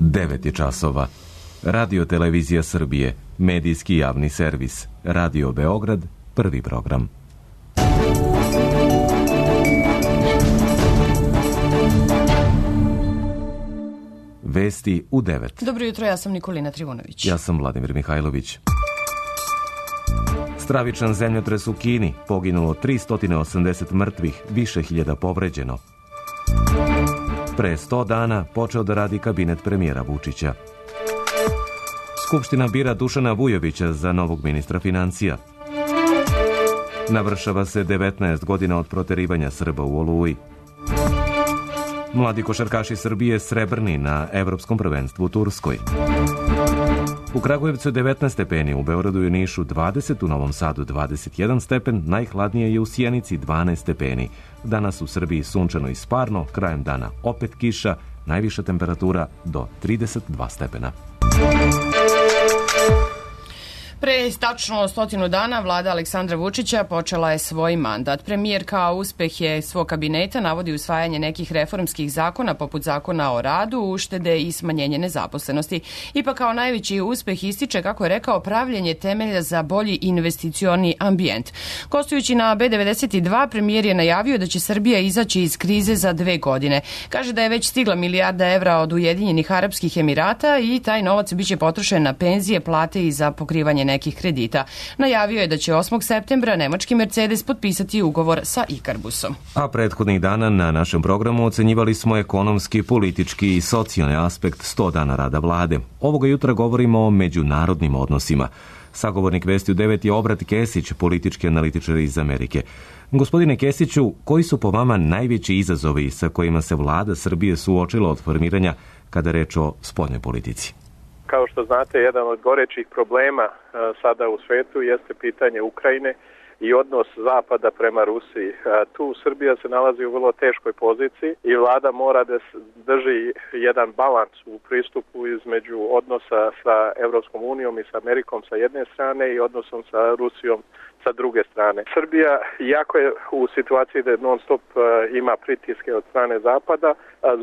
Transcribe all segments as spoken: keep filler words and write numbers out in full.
devet je časova. Radio Televizija Srbije, medijski javni servis. Radio Beograd, prvi program. Vesti u devet. Dobro jutro, ja sam Nikolina Trivunović. Ja sam Vladimir Mihajlović. Stravičan zemljotres u Kini, poginulo tristo osamdeset mrtvih, više hiljada povređeno. Pre sto dana počeo da radi kabinet premijera Vučića. Skupština bira Dušana Vujovića za novog ministra financija. Navršava se devetnaest godina od proterivanja Srba u Oluji. Mladi košarkaši Srbije srebrni na Evropskom prvenstvu u Turskoj. U Kragujevcu devetnaest stepeni, u Beogradu i Nišu dvadeset, u Novom Sadu dvadeset jedan stepen, najhladnije je u Sjenici dvanaest stepeni. Danas u Srbiji sunčano i sparno, krajem dana opet kiša, najviša temperatura do trideset dva stepena. Pre tačno stotinu dana vlada Aleksandra Vučića počela je svoj mandat. Premijer kao uspeh je svog kabineta navodi usvajanje nekih reformskih zakona poput zakona o radu, uštede i smanjenje nezaposlenosti. Ipak kao najveći uspeh ističe, kako je rekao, pravljenje temelja za bolji investicioni ambijent. Gostujući na B devedeset dva, premijer je najavio da će Srbija izaći iz krize za dve godine. Kaže da je već stigla milijarda evra od Ujedinjenih Arapskih Emirata i taj novac biće potrošen na penzije, plate i za pokrivanje nekih kredita. Najavio je da će osmog septembra nemački Mercedes potpisati ugovor sa Ikarbusom. A prethodnih dana na našem programu ocenjivali smo ekonomski, politički i socijalni aspekt sto dana rada vlade. Ovoga jutra govorimo o međunarodnim odnosima. Sagovornik Vesti u devet je Obrat Kesić, politički analitičar iz Amerike. Gospodine Kesiću, koji su po vama najveći izazovi sa kojima se vlada Srbije suočila od formiranja kada reč o spoljnoj politici? Kao što znate, jedan od gorećih problema sada u svetu jeste pitanje Ukrajine i odnos Zapada prema Rusiji. Tu Srbija se nalazi u vrlo teškoj poziciji i vlada mora da drži jedan balans u pristupu između odnosa sa Evropskom unijom i sa Amerikom sa jedne strane i odnosom sa Rusijom sa druge strane. Srbija, iako je u situaciji da non stop ima pritiske od strane Zapada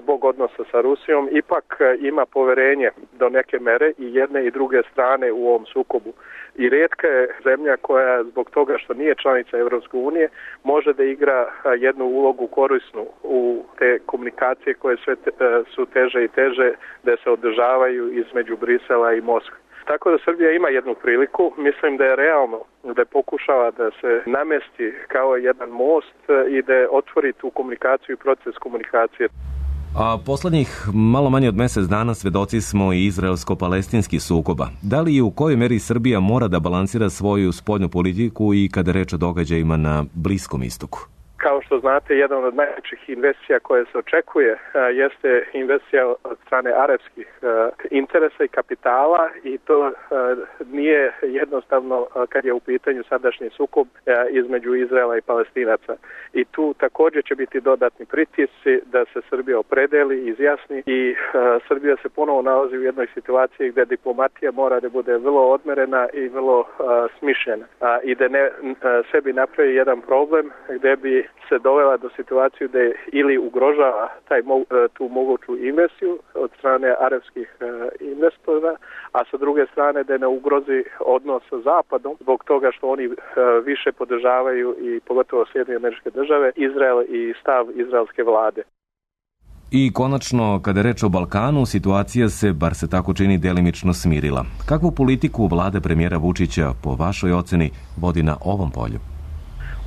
zbog odnosa sa Rusijom, ipak ima poverenje do neke mere i jedne i druge strane u ovom sukobu. I rijetka je zemlja koja zbog toga što nije članica Evropske unije može da igra jednu ulogu korisnu u te komunikacije koje sve te, su teže i teže da se održavaju između Brisela i Moskve. Tako da Srbija ima jednu priliku, mislim da je realno da pokušava da se namesti kao jedan most i da otvori tu komunikaciju i proces komunikacije. A poslednjih malo manje od mesec dana svedoci smo i izraelsko-palestinskih sukoba. Da li i u kojoj meri Srbija mora da balansira svoju spoljnu politiku i kada reč o događajima na Bliskom istoku? Kao što znate, jedan od najvećih investicija koje se očekuje jeste investicija od strane arapskih interesa i kapitala i to nije jednostavno kad je u pitanju sadašnji sukob između Izraela i Palestinaca. I tu također će biti dodatni pritisci da se Srbija opredeli, izjasni i Srbija se ponovo nalazi u jednoj situaciji gdje diplomatija mora da bude vrlo odmerena i vrlo smišljena i da ne sebi napravi jedan problem gdje bi se dovela do situaciju da ili ugrožava taj, tu moguću investiciju od strane arapskih investora, a sa druge strane da ne ugrozi odnos sa Zapadom zbog toga što oni više podržavaju i pogotovo Sjedinjene Američke Države, Izrael i stav izraelske vlade. I konačno, kada je reč o Balkanu, situacija se, bar se tako čini, delimično smirila. Kakvu politiku vlada premijera Vučića, po vašoj oceni, vodi na ovom polju?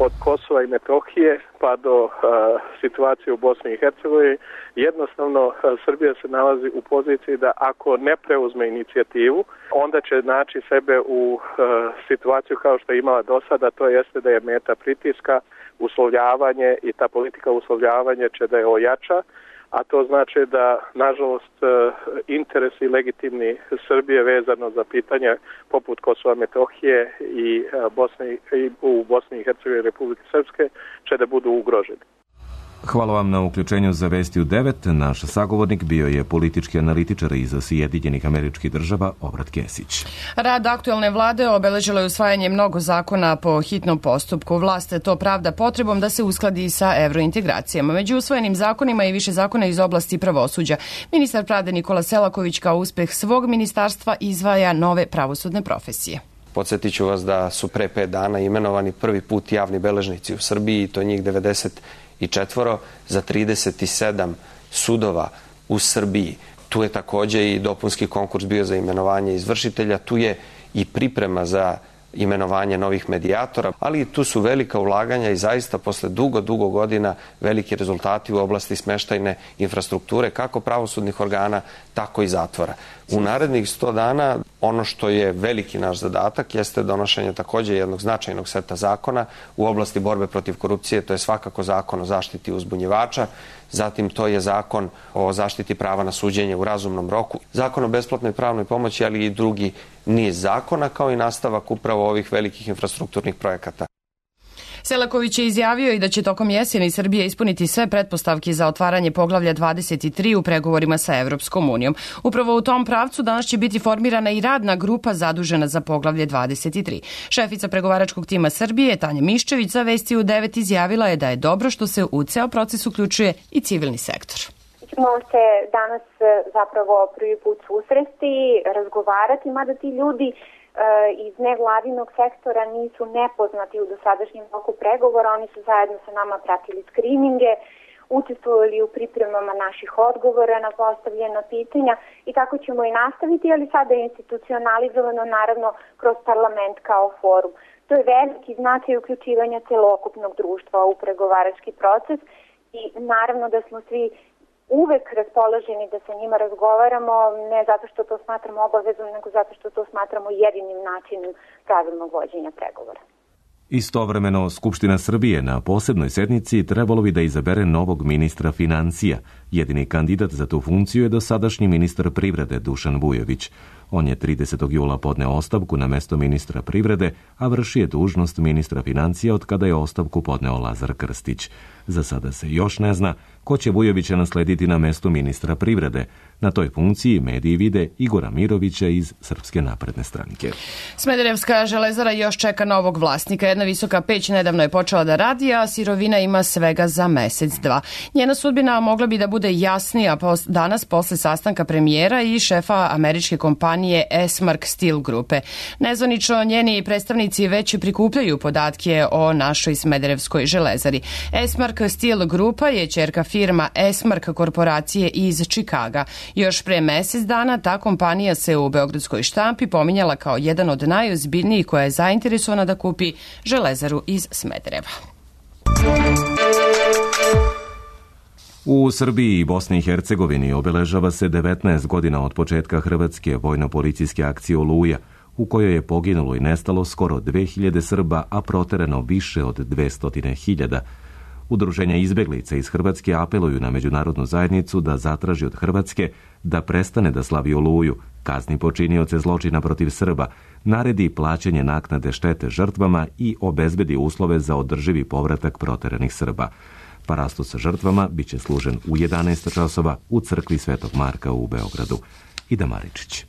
Od Kosova i Metohije pa do uh, situacije u Bosni i Hercegovini, jednostavno uh, Srbija se nalazi u poziciji da ako ne preuzme inicijativu, onda će naći sebe u uh, situaciju kao što je imala do sada, to jeste da je meta pritiska, uslovljavanje i ta politika uslovljavanja će da je ojača, a to znači da, nažalost, interesi legitimni Srbije vezano za pitanja poput Kosova, Metohije i, Bosne, i u Bosni i Hercegovini i Republike Srpske će da budu ugroženi. Hvala vam na uključenju za Vesti u devet. Naš sagovornik bio je politički analitičar iz Sjedinjenih Američkih Država Obrat Kesić. Rad aktuelne vlade obeležilo je usvajanje mnogo zakona po hitnom postupku. Vlast to pravda potrebom da se uskladi sa evrointegracijama. Među usvojenim zakonima i više zakona iz oblasti pravosuđa. Ministar pravde Nikola Selaković kao uspeh svog ministarstva izdvaja nove pravosudne profesije. Podsjetit ću vas da su pre pet dana imenovani prvi put javni beležnici u Srbiji, i to njih devedeset četiri za trideset sedam sudova u Srbiji. Tu je takođe i dopunski konkurs bio za imenovanje izvršitelja, tu je i priprema za imenovanje novih medijatora, ali tu su velika ulaganja i zaista posle dugo, dugo godina veliki rezultati u oblasti smeštajne infrastrukture, kako pravosudnih organa, tako i zatvora. U narednih sto dana ono što je veliki naš zadatak jeste donošenje takođe jednog značajnog seta zakona u oblasti borbe protiv korupcije, to je svakako zakon o zaštiti uzbunjivača, zatim to je zakon o zaštiti prava na suđenje u razumnom roku, zakon o besplatnoj pravnoj pomoći, ali i drugi niz zakona, kao i nastavak upravo ovih velikih infrastrukturnih projekata. Selaković je izjavio i da će tokom jeseni Srbija ispuniti sve pretpostavke za otvaranje poglavlja dvadeset tri u pregovorima sa Evropskom unijom. Upravo u tom pravcu danas će biti formirana i radna grupa zadužena za poglavlje dvadeset tri. Šefica pregovaračkog tima Srbije, Tanja Miščević, za Vesti u devet izjavila je da je dobro što se u ceo proces uključuje i civilni sektor. Ćemo se danas zapravo prvi put susresti, razgovarati, mada ti ljudi iz nevladinog sektora nisu nepoznati u dosadašnjem toku pregovora. Oni su zajedno sa nama pratili skrininge, učestvovali u pripremama naših odgovora na postavljena pitanja i tako ćemo i nastaviti, ali sada je institucionalizovano naravno kroz parlament kao forum. To je veliki značaj uključivanja celokupnog društva u pregovarački proces i naravno da smo svi uvek raspoloženi da sa njima razgovaramo, ne zato što to smatramo obavezom, nego zato što to smatramo jedinim načinom pravilnog vođenja pregovora. Istovremeno, Skupština Srbije na posebnoj sednici trebalo bi da izabere novog ministra financija. Jedini kandidat za tu funkciju je dosadašnji ministar privrede Dušan Vujović. On je tridesetog jula podneo ostavku na mesto ministra privrede, a vrši je dužnost ministra financija od kada je ostavku podneo Lazar Krstić. Za sada se još ne zna ko će Vujovića naslediti na mestu ministra privrede. Na toj funkciji mediji vide Igora Mirovića iz Srpske napredne stranke. Smederevska železara još čeka novog vlasnika. Jedna visoka peć nedavno je počela da radi, a sirovina ima svega za mesec, dva. Njena sudbina mogla bi da bude jasnija danas posle sastanka premijera i šefa američke kompanije Esmark Steel grupe. Nezvanično njeni predstavnici već prikupljaju podatke o našoj Smederevskoj železari. Esmark Steel grupa je ćerka firma Esmark korporacije iz Čikaga. Još pre mesec dana ta kompanija se u beogradskoj štampi pominjala kao jedan od najozbiljnijih koja je zainteresovana da kupi železaru iz Smedereva. U Srbiji i Bosni i Hercegovini obeležava se devetnaest godina od početka hrvatske vojno-policijske akcije Oluja, u kojoj je poginulo i nestalo skoro dve hiljade Srba, a proterano više od dvesta hiljada. Udruženja izbeglica iz Hrvatske apeluju na međunarodnu zajednicu da zatraži od Hrvatske da prestane da slavi Oluju, kazni počinioce zločina protiv Srba, naredi plaćanje naknade štete žrtvama i obezbedi uslove za održivi povratak proteranih Srba. Parastos sa žrtvama biće služen u jedanaest časova u crkvi Svetog Marka u Beogradu. Ida Maričić.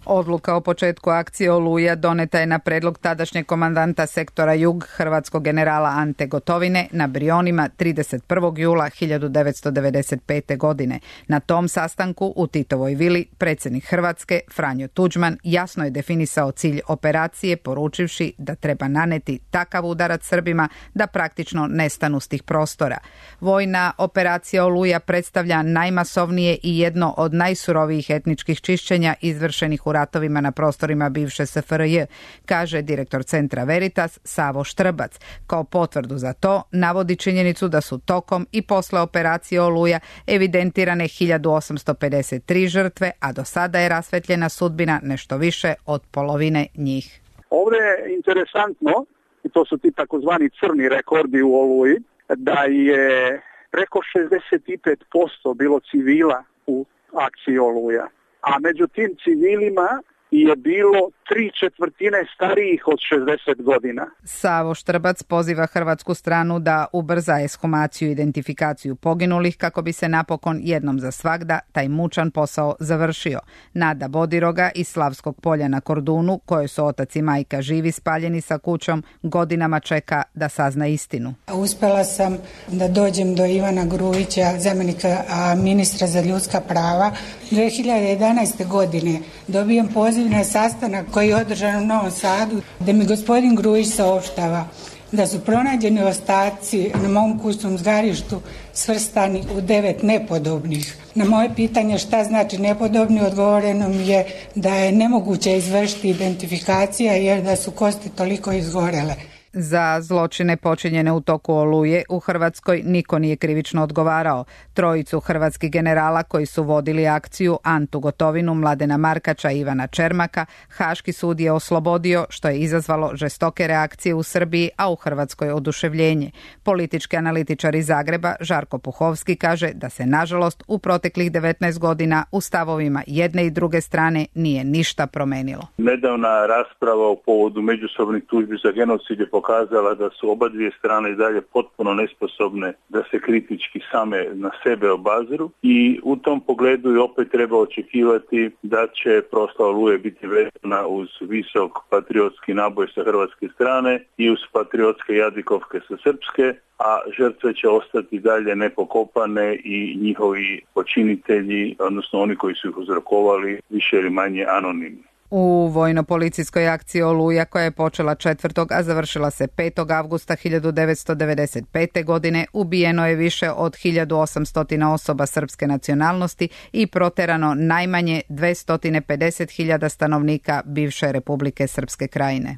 Odluka o početku akcije Oluja doneta je na predlog tadašnjeg komandanta sektora Jug, hrvatskog generala Ante Gotovine, na Brionima trideset prvog jula hiljadu devetsto devedeset pete. godine. Na tom sastanku u Titovoj vili predsjednik Hrvatske, Franjo Tuđman, jasno je definisao cilj operacije, poručivši da treba naneti takav udarac Srbima da praktično nestanu s tih prostora. Vojna operacija Oluja predstavlja najmasovnije i jedno od najsurovijih etničkih čišćenja izvršenih u ratovima na prostorima bivše S F R J, kaže direktor centra Veritas Savo Štrbac. Kao potvrdu za to navodi činjenicu da su tokom i posle operacije Oluja evidentirane hiljadu osamsto pedeset tri žrtve, a do sada je rasvetljena sudbina nešto više od polovine njih. Ovdje je interesantno, i to su ti takozvani crni rekordi u Oluji, da je preko šezdeset pet posto bilo civila u akciji Oluja. A među tim civilima je bilo tri četvrtine starijih od šezdeset godina. Savo Štrbac poziva hrvatsku stranu da ubrza ekshumaciju i identifikaciju poginulih kako bi se napokon jednom za svagda taj mučan posao završio. Nada Bodiroga iz Slavskog polja na Kordunu, kojoj su otac i majka živi spaljeni sa kućom, godinama čeka da sazna istinu. Uspjela sam da dođem do Ivana Grujića, zamjenika ministra za ljudska prava. dvije hiljade jedanaeste. godine dobijem poziv na sastanak koji je održan u Novom Sadu, da mi gospodin Grujić saopštava da su pronađeni ostaci na mom kućnom zgarištu svrstani u devet nepodobnih. Na moje pitanje šta znači nepodobni, odgovoreno mi je da je nemoguće izvršiti identifikacija jer da su kosti toliko izgorele. Za zločine počinjene u toku Oluje u Hrvatskoj niko nije krivično odgovarao. Trojicu hrvatskih generala koji su vodili akciju, Antu Gotovinu, Mladena Markača i Ivana Čermaka, Haški sud je oslobodio, što je izazvalo žestoke reakcije u Srbiji, a u Hrvatskoj oduševljenje. Politički analitičar iz Zagreba, Žarko Puhovski, kaže da se nažalost u proteklih devetnaest godina u stavovima jedne i druge strane nije ništa promenilo. Nedavna rasprava o povodu međusobnih tužbi za genocid je pokazala da su oba dvije strane i dalje potpuno nesposobne da se kritički same na sebe obaziru i u tom pogledu i opet treba očekivati da će proslava Oluje biti vezana uz visok patriotski naboj sa hrvatske strane i uz patriotske jadikovke sa srpske, a žrtve će ostati dalje nepokopane i njihovi počinitelji, odnosno oni koji su ih uzrokovali, više ili manje anonimni. U vojno-policijskoj akciji Oluja, koja je počela četvrtog a završila se petog avgusta hiljadu devetsto devedeset pete. godine, ubijeno je više od hiljadu osamsto osoba srpske nacionalnosti i proterano najmanje dvesta pedeset hiljada stanovnika bivše Republike Srpske Krajine.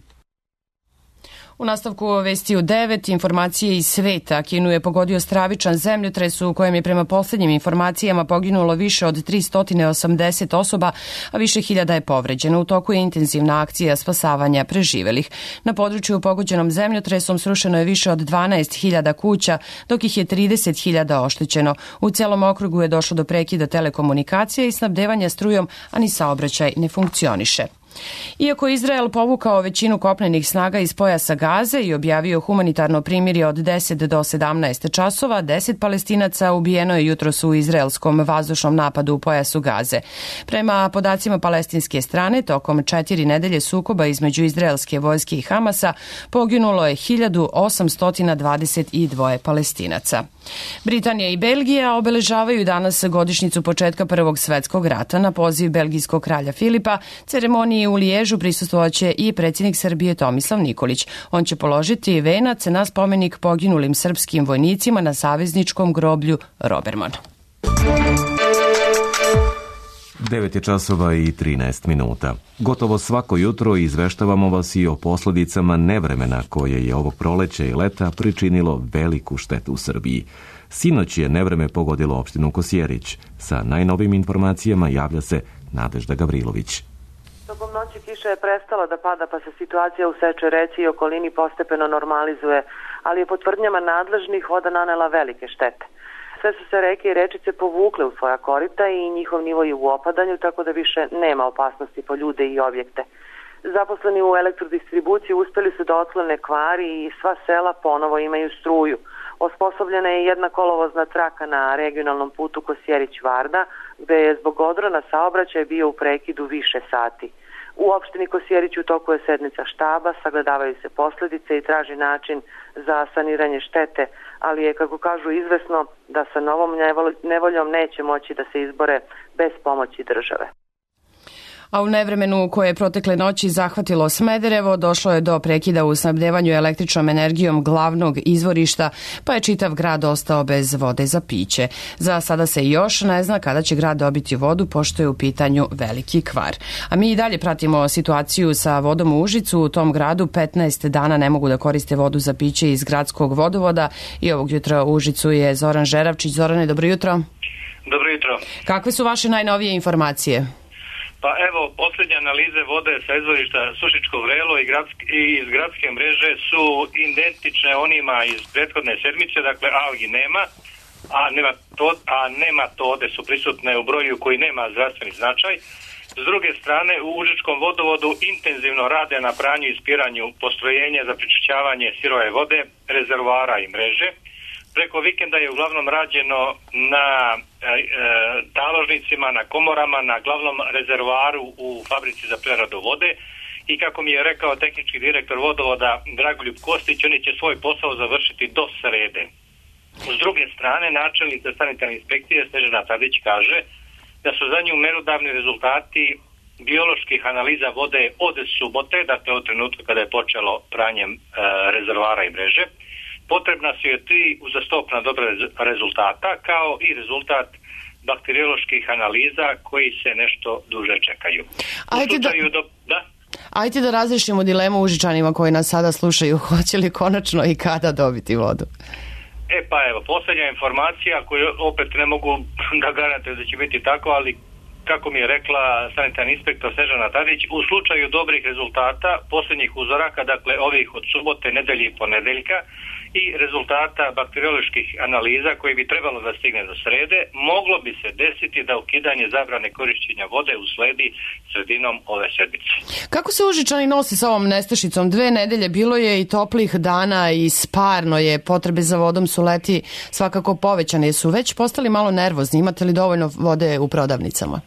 U nastavku vesti u devet, informacije iz sveta. Kinu je pogodio stravičan zemljotres u kojem je prema posljednjim informacijama poginulo više od tristo osamdeset osoba, a više hiljada je povređeno. U toku je intenzivna akcija spasavanja preživelih. Na području pogođenom zemljotresom srušeno je više od dvanaest hiljada kuća, dok ih je trideset hiljada oštećeno. U celom okrugu je došlo do prekida telekomunikacije i snabdevanja strujom, a ni saobraćaj ne funkcioniše. Iako je Izrael povukao većinu kopnenih snaga iz pojasa Gaze i objavio humanitarno primirje od deset do sedamnaest časova, deset Palestinaca ubijeno je jutros u izraelskom vazdušnom napadu u pojasu Gaze. Prema podacima palestinske strane, tokom četiri nedelje sukoba između izraelske vojske i Hamasa poginulo je hiljadu osamsto dvadeset dva Palestinaca. Britanija i Belgija obeležavaju danas godišnjicu početka Prvog svetskog rata. Na poziv belgijskog kralja Filipa ceremoniji u Liježu prisustvovaće i predsjednik Srbije Tomislav Nikolić. On će položiti venac na spomenik poginulim srpskim vojnicima na savezničkom groblju Roberman. devet je časova i trinaest minuta. Gotovo svako jutro izveštavamo vas i o posljedicama nevremena koje je ovog proleća i leta pričinilo veliku štetu u Srbiji. Sinoć je nevreme pogodilo opštinu Kosjerić. Sa najnovim informacijama javlja se Nadežda Gavrilović. Tokom noći kiša je prestala da pada, pa se situacija u Seče reci i okolini postepeno normalizuje, ali je po tvrdnjama nadležnih voda nanela velike štete. Sve su se reke i rečice povukle u svoja korita i njihov nivo je u opadanju, tako da više nema opasnosti po ljude i objekte. Zaposleni u elektrodistribuciji uspeli su da otklone kvari i sva sela ponovo imaju struju. Osposobljena je jedna kolovozna traka na regionalnom putu Kosjerić-Varda, gde je zbog odrona saobraćaj bio u prekidu više sati. U opštini Kosjerić u toku je sednica štaba, sagledavaju se posljedice i traži način za saniranje štete, ali je, kako kažu, izvesno da sa novom nevoljom neće moći da se izbore bez pomoći države. A u nevremenu koje je protekle noći zahvatilo Smederevo, došlo je do prekida u snabdevanju električnom energijom glavnog izvorišta, pa je čitav grad ostao bez vode za piće. Za sada se još ne zna kada će grad dobiti vodu, pošto je u pitanju veliki kvar. A mi i dalje pratimo situaciju sa vodom u Užicu. U tom gradu petnaest dana ne mogu da koriste vodu za piće iz gradskog vodovoda i ovog jutra u Užicu je Zoran Žeravčić. Zorane, dobro jutro. Dobro jutro. Kakve su vaše najnovije informacije? Pa evo, posljednje analize vode sa izvorišta Sušičko Vrelo i, gradski, i iz gradske mreže su identične onima iz prethodne sedmice, dakle algi nema, a, nema to, a nematode su prisutne u broju koji nema zdravstveni značaj. S druge strane, u Užičkom vodovodu intenzivno rade na pranju i ispiranju postrojenja za prečišćavanje sirove vode, rezervoara i mreže. Preko vikenda je uglavnom rađeno na e, taložnicima, na komorama, na glavnom rezervoaru u fabrici za preradu vode i kako mi je rekao tehnički direktor vodovoda Dragoljub Kostić, oni će svoj posao završiti do srede. S druge strane, načelnica sanitarne inspekcije Snežana Tadić kaže da su za nju merodavni rezultati bioloških analiza vode od subote, dakle od trenutka kada je počelo pranjem e, rezervoara i mreže. Potrebna su je tri uzastopna dobra rezultata, kao i rezultat bakterioloških analiza koji se nešto duže čekaju. Ajde da, do... da? ajde da razrešimo dilemu Užičanima koji nas sada slušaju, hoće li konačno i kada dobiti vodu? E pa evo, posljednja informacija koju opet ne mogu da garantujem da će biti tako, ali kako mi je rekla sanitarni inspektor Snežana Tadić, u slučaju dobrih rezultata posljednjih uzoraka, dakle ovih od subote, nedelje i ponedeljka, i rezultata bakterioloških analiza koji bi trebalo da stigne do srede, moglo bi se desiti da ukidanje zabrane korišćenja vode usledi sredinom ove sedmice. Kako se Užičani nosi sa ovom nestašicom? Dve nedelje bilo je i toplih dana i sparno je, potrebe za vodom su leti svakako povećane. Su već postali malo nervozni? Imate li dovoljno vode u prodavnicama?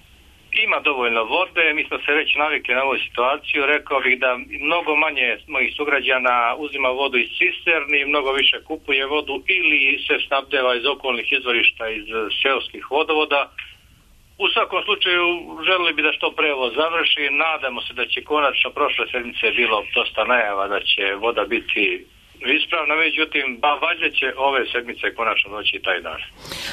Ima dovoljno vode, mi smo se već navikli na ovu situaciju, rekao bih da mnogo manje mojih sugrađana uzima vodu iz cisterni, mnogo više kupuje vodu ili se snabdeva iz okolnih izvorišta, iz seoskih vodovoda. U svakom slučaju želili bi da što pre ovo završi, nadamo se da će konačno, prošle sedmice je bilo dosta najava da će voda biti ispravna, međutim, ba, valjda će ove sedmice konačno doći taj dan.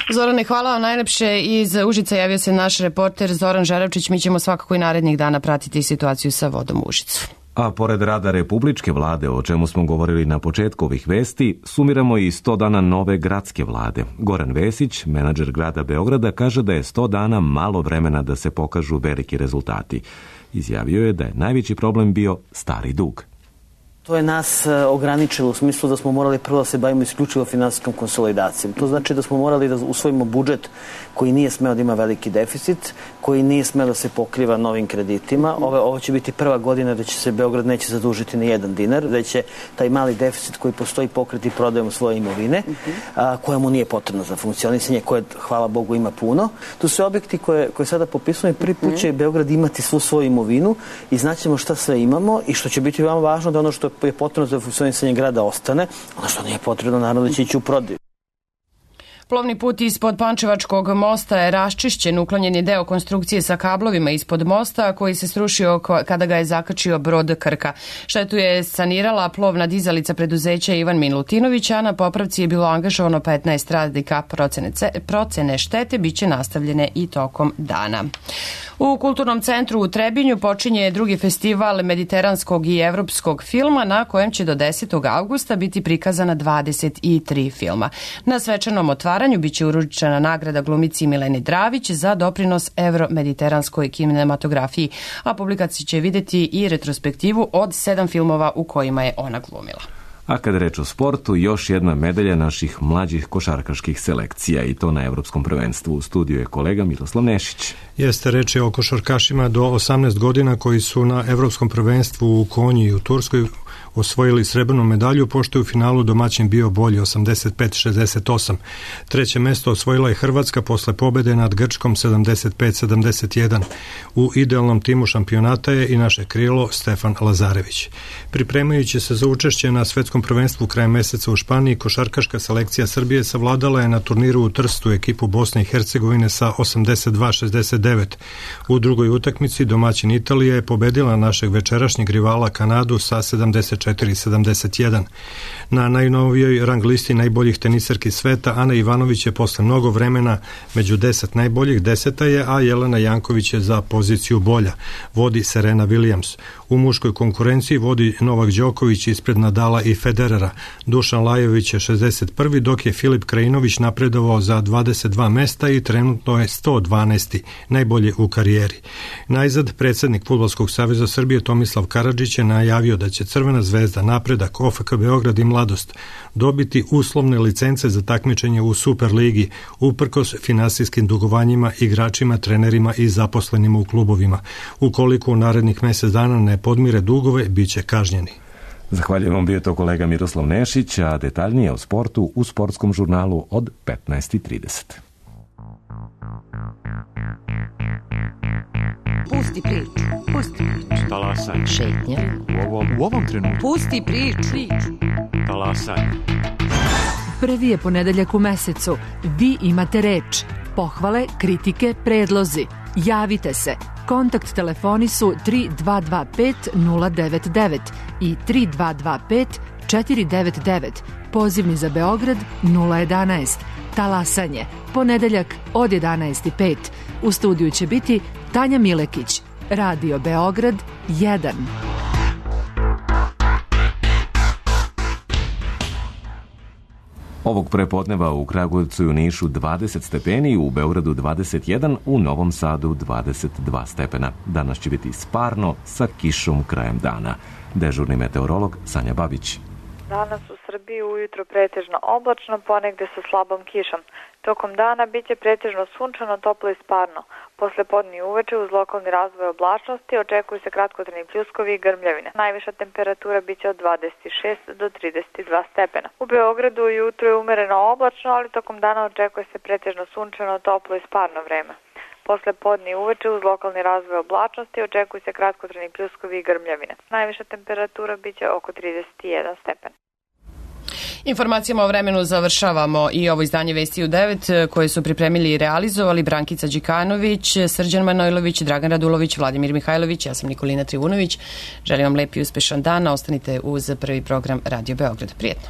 Zorane, hvala vam najlepše. Iz Užica javio se naš reporter Zoran Žeravčić. Mi ćemo svakako i narednih dana pratiti situaciju sa vodom u Užicu. A pored rada Republičke vlade, o čemu smo govorili na početku ovih vesti, sumiramo i sto dana nove gradske vlade. Goran Vesić, menadžer grada Beograda, kaže da je sto dana malo vremena da se pokažu veliki rezultati. Izjavio je da je najveći problem bio stari dug. To je nas ograničilo u smislu da smo morali prvo da se bavimo isključivo finansijskom konsolidacijom. To znači da smo morali da usvojimo budžet koji nije smeo da ima veliki deficit, koji nije smeo da se pokriva novim kreditima. Ovo, ovo će biti prva godina da će se Beograd neće zadužiti ni jedan dinar, da će taj mali deficit koji postoji pokriti prodajom svoje imovine, a, koja mu nije potrebna za funkcionisanje, koje, hvala Bogu, ima puno. Tu su objekti koje, koje sada popisujemo, prvi put će Beograd imati svu svoju imovinu i znaćemo šta sve imamo i što će biti veoma važno da ono što je potrebno za funkcionisanje grada ostane, ono što nije potrebno naravno da će ići u prodaju. Plovni put ispod Pančevačkog mosta je raščišćen, uklonjen je deo konstrukcije sa kablovima ispod mosta koji se srušio kada ga je zakačio brod Krka. Štetu je sanirala plovna dizalica preduzeća Ivan Milutinović, a na popravci je bilo angažovano petnaest radnika. Procene, procene štete biće nastavljene i tokom dana. U Kulturnom centru u Trebinju počinje drugi festival mediteranskog i evropskog filma na kojem će do desetog avgusta biti prikazana dvadeset tri filma. Na svečanom otvaranju biće uručena nagrada glumici Mileni Dravić za doprinos evro-mediteranskoj kinematografiji, a publikacija će vidjeti i retrospektivu od sedam filmova u kojima je ona glumila. A kad reč o sportu, još jedna medalja naših mlađih košarkaških selekcija i to na Evropskom prvenstvu. U studiju je kolega Miroslav Nešić. Jeste, reč je o košarkašima do osamnaest godina koji su na Evropskom prvenstvu u Konji i u Turskoj osvojili srebrnu medalju, pošto je u finalu domaćin bio bolji osamdeset pet šezdeset osam. Treće mesto osvojila je Hrvatska posle pobede nad Grčkom sedamdeset pet sedamdeset jedan. U idealnom timu šampionata je i naše krilo Stefan Lazarević. Pripremajući se za učešće na svetskom prvenstvu krajem meseca u Španiji, košarkaška selekcija Srbije savladala je na turniru u Trstu ekipu Bosne i Hercegovine sa osamdeset dva šezdeset devet. U drugoj utakmici domaćin Italija je pobedila našeg večerašnjeg rivala Kanadu sa sedamdeset četiri sedamdeset jedan. Na najnovijoj rang listi najboljih teniserki sveta Ana Ivanović je posle mnogo vremena među deset najboljih, deseta je, a Jelena Janković je za poziciju bolja. Vodi Serena Williams. U muškoj konkurenciji vodi Novak Đoković ispred Nadala i Federera. Dušan Lajović je šezdeset prvi, dok je Filip Krajinović napredovao za dvadeset dva mesta i trenutno je sto dvanaesti, najbolje u karijeri. Najzad, predsjednik Fudbalskog saveza Srbije Tomislav Karadžić je najavio da će Crvena zvezda Zvezda, Napredak, O F K Beograd i Mladost dobiti uslovne licence za takmičenje u Superligi uprkos finansijskim dugovanjima igračima, trenerima i zaposlenima u klubovima. Ukoliko u narednih mjesec dana ne podmire dugove, bit će kažnjeni. Zahvaljujem vam, bio to kolega Miroslav Nešić, a detaljnije o sportu u sportskom žurnalu od petnaest i trideset. Pusti priču, pusti priču. Talasaj. Šetnja. U ovom, u ovom trenutku. Pusti priču. Talasaj. Prvi je ponedeljak u mesecu. Vi imate reč. Pohvale, kritike, predlozi. Javite se. Kontakt telefoni su tri dva dva pet nula devet devet i tri dva dva pet četiri devet devet. Pozivni za Beograd nula jedanaest. Talasanje. Ponedeljak od jedanaest i pet. U studiju će biti Tanja Milekić. Radio Beograd jedan. Ovog prepodneva u Kragujevcu i u Nišu dvadeset stepeni, u Beogradu dvadeset jedan, u Novom Sadu dvadeset dva stepena. Danas će biti sparno sa kišom krajem dana. Dežurni meteorolog Sanja Babić. Danas u Srbiji ujutro pretežno oblačno, ponegde sa slabom kišom. Tokom dana biće pretežno sunčano, toplo i sparno. Posle podne i uveče uz lokalni razvoj oblačnosti očekuju se kratkotrajni pljuskovi i grmljavine. Najviša temperatura biće od dvadeset šest do trideset dva stepena. U Beogradu ujutro je umereno oblačno, ali tokom dana očekuje se pretežno sunčano, toplo i sparno vreme. Posle podne i uveče uz lokalni razvoj oblačnosti očekuju se kratkotrajni pljuskovi i grmljavine. Najviša temperatura biće oko trideset jedan stepen. Informacijama o vremenu završavamo i ovo izdanje Vesti u devet koje su pripremili i realizovali Brankica Đikanović, Srđan Manojlović, Dragan Radulović, Vladimir Mihajlović, ja sam Nikolina Trivunović. Želim vam lep i uspešan dan, ostanite uz prvi program Radio Beograd. Prijetno.